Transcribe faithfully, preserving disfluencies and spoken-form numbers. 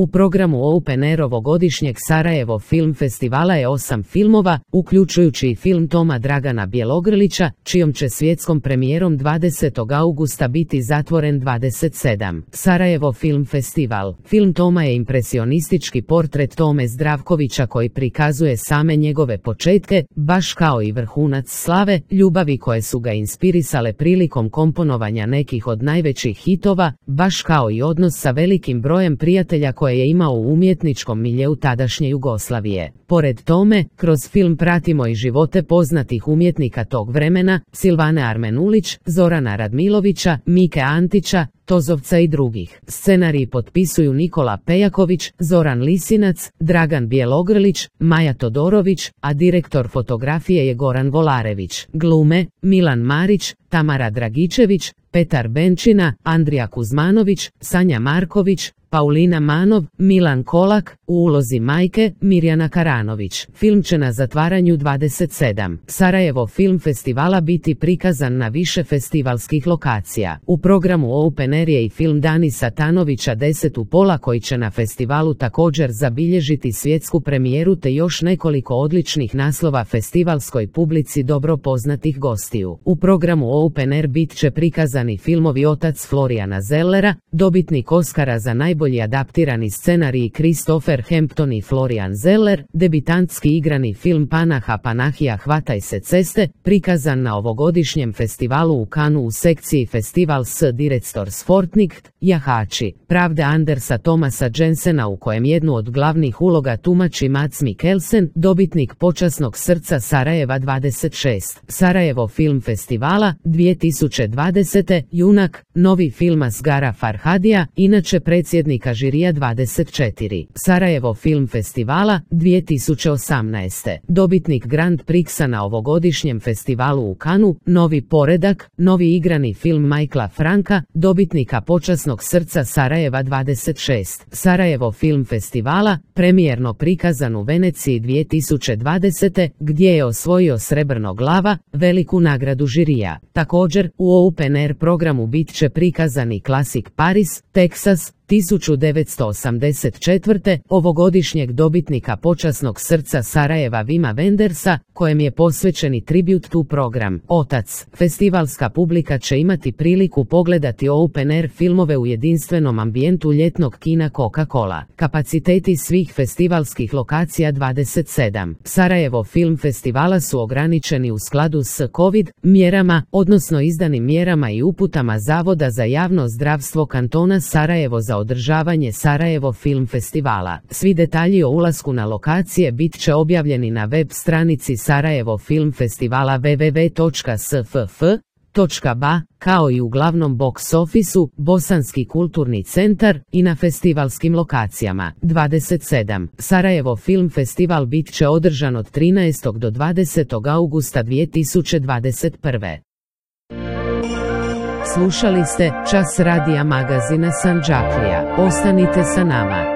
U programu Open Air ovogodišnjeg Sarajevo Film Festivala je osam filmova, uključujući i film Toma Dragana Bjelogrlića, čijom će svjetskom premijerom dvadesetog augusta biti zatvoren dvadeset sedam. Sarajevo Film Festival. Film Toma je impresionistički portret Tome Zdravkovića koji prikazuje same njegove početke, baš kao i vrhunac slave, ljubavi koje su ga inspirisale prilikom komponovanja nekih od najvećih hitova, baš kao i odnos sa velikim brojem prijatelja koje je imao u umjetničkom miljeu tadašnje Jugoslavije. Pored tome, kroz film pratimo i živote poznatih umjetnika tog vremena, Silvane Armenulić, Zorana Radmilovića, Mike Antića, Tozovca i drugih. Scenarij potpisuju Nikola Pejaković, Zoran Lisinac, Dragan Bjelogrlić, Maja Todorović, a direktor fotografije je Goran Volarević. Glume: Milan Marić, Tamara Dragičević, Petar Benčina, Andrija Kuzmanović, Sanja Marković, Paulina Manov, Milan Kolak, u ulozi majke Mirjana Karanović. Film će na zatvaranju dvadeset sedam. Sarajevo Film Festivala biti prikazan na više festivalskih lokacija. U programu Open Air je i film Dani Satanovića deset u pola koji će na festivalu također zabilježiti svjetsku premijeru te još nekoliko odličnih naslova festivalskoj publici dobro poznatih gostiju. U programu Open Air bit će prikazani filmovi Otac Florijana Zellera, dobitnik Oscara za najbolji Najbolji adaptirani scenarij Christopher Hampton i Florian Zeller, debitantski igrani film Panaha Panahija Hvataj se ceste, prikazan na ovogodišnjem festivalu u Kanu u sekciji Festival s Directors Fortnight, Jahači, Pravde Andersa Thomasa Jensena u kojem jednu od glavnih uloga tumači Mads Mikkelsen, dobitnik počasnog srca Sarajeva dvadeset šest. Sarajevo Film Festivala, dvije tisuće dvadesete. Junak, novi film Asgara Farhadija, inače predsjednik žirija dvadeset četiri. Sarajevo Film Festivala, dvije tisuće osamnaeste. Dobitnik Grand Prixa na ovogodišnjem festivalu u Kanu, Novi poredak, novi igrani film Michaela Franka, dobitnika počasnog srca Sarajeva dvadeset šest. Sarajevo Film Festivala, premijerno prikazan u Veneciji dvije tisuće dvadesete. gdje je osvojio Srebrnog lava, veliku nagradu žirija. Također, u Open Air programu bit će prikazani klasik Paris, Teksas, tisuću devetsto osamdeset četvrte. ovogodišnjeg dobitnika počasnog srca Sarajeva Vima Wendersa, kojem je posvećeni tribute to program Otac. Festivalska publika će imati priliku pogledati Open Air filmove u jedinstvenom ambijentu ljetnog kina Coca-Cola. Kapaciteti svih festivalskih lokacija dvadeset sedam. Sarajevo Film Festivala su ograničeni u skladu s COVID mjerama, odnosno izdanim mjerama i uputama Zavoda za javno zdravstvo kantona Sarajevo za održavanje Sarajevo Film Festivala. Svi detalji o ulasku na lokacije bit će objavljeni na web stranici Sarajevo Film Festivala w w w točka s f f točka b a, kao i u glavnom box ofisu, Bosanski kulturni centar i na festivalskim lokacijama. dvadeset sedam. Sarajevo Film Festival bit će održan od trinaestog do dvadesetog augusta dvije tisuće dvadeset prve. Slušali ste Čas radija magazina Sandžaklija. Ostanite sa nama.